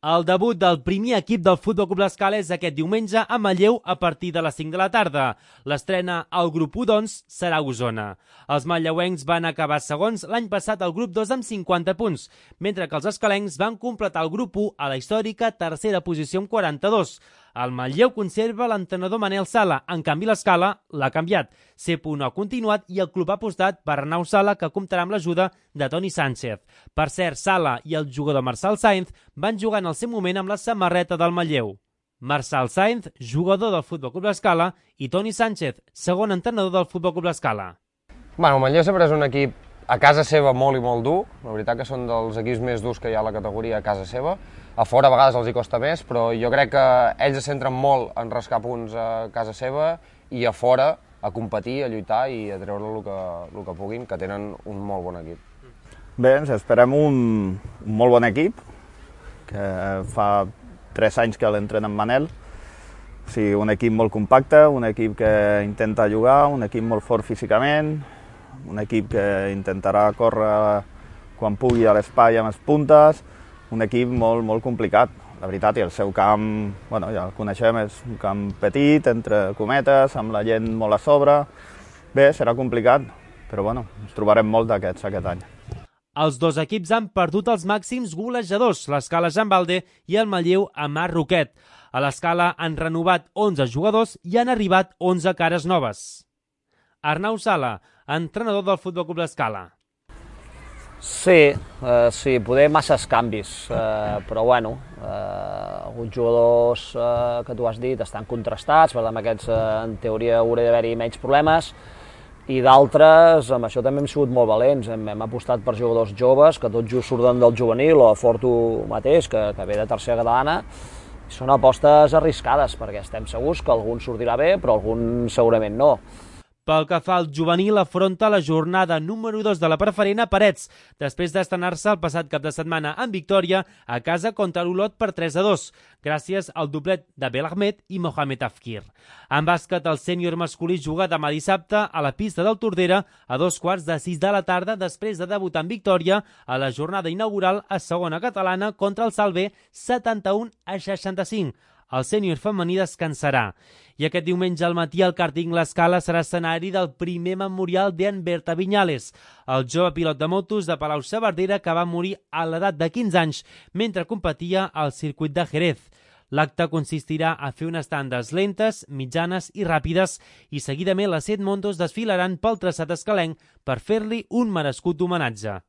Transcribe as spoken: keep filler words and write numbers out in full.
El debut del primer equip del Futbol Club L'Escala és aquest diumenge a Manlleu a partir de les cinc de la tarda. L'estrena al grup u, doncs, serà a Osona. Els manlleuencs van acabar segons l'any passat al grup dos amb cinquanta punts, mentre que els escalencs van completar el grup u a la històrica tercera posició amb quaranta-dos. El Manlleu conserva l'entrenador Manel Sala, en canvi l'Escala l'ha canviat. Cepo no ha continuat i el club ha apostat per Arnau Sala, que comptarà amb l'ajuda de Toni Sánchez. Per cert, Sala i el jugador Marçal Sáenz van jugar en el seu moment amb la samarreta del Manlleu. Marçal Sáenz, jugador del Futbol Club L'Escala, i Toni Sánchez, segon entrenador del Futbol Club L'Escala. Bueno, el Manlleu sempre és un equip a casa seva molt i molt dur. La veritat que són dels equips més durs que hi ha a la categoria a casa seva. A fora a vegades els hi costa més, però jo crec que ells es centren molt en rascar punts a casa seva i a fora a competir, a lluitar i a treure el que, el que puguin, que tenen un molt bon equip. Bé, ens esperem un, un molt bon equip, que fa tres anys que l'entrena en Manel. O sigui, un equip molt compacte, un equip que intenta jugar, un equip molt fort físicament, un equip que intentarà córrer quan pugui a l'espai amb les puntes, un equip molt, molt complicat, la veritat, i el seu camp, bueno, ja el coneixem, és un camp petit, entre cometes, amb la gent molt a sobre. Bé, serà complicat, però bueno, ens trobarem molt d'aquests aquest any. Els dos equips han perdut els màxims golejadors, l'Escala Jean Balde i el Manlleu Amat Roquet. A l'Escala han renovat onze jugadors i han arribat onze cares noves. Arnau Sala, entrenador del Futbol Club L'Escala. Sí, eh, sí, poder masses canvis, eh, però bueno, eh, alguns jugadors eh, que tu has dit estan contrastats, per tant amb aquests eh, en teoria hauria d'haver-hi menys problemes, i d'altres, amb això també hem sigut molt valents, hem, hem apostat per jugadors joves, que tots just surten del juvenil, o a Fortu mateix, que, que ve de tercera catalana, i són apostes arriscades, perquè estem segurs que algun sortirà bé, però algun segurament no. Pel que fa al juvenil, afronta la jornada número dos de la preferent a Parets, després d'estrenar-se el passat cap de setmana en victòria a casa contra l'Olot per tres a dos, gràcies al doblet de Belahmed i Mohamed Afkir. En bàsquet, el sènior masculí juga demà dissabte a la pista del Tordera a dos quarts de sis de la tarda, després de debutar en victòria a la jornada inaugural a segona catalana contra el Salver setanta-un a seixanta-cinc. El sènior femení descansarà. I aquest diumenge al matí el kàrting L'Escala serà escenari del primer memorial d'en Berta Viñales, el jove pilot de motos de Palau-saverdera que va morir a l'edat de quinze anys mentre competia al circuit de Jerez. L'acte consistirà a fer unes tandes lentes, mitjanes i ràpides i seguidament les set motos desfilaran pel traçat escalenc per fer-li un merescut homenatge.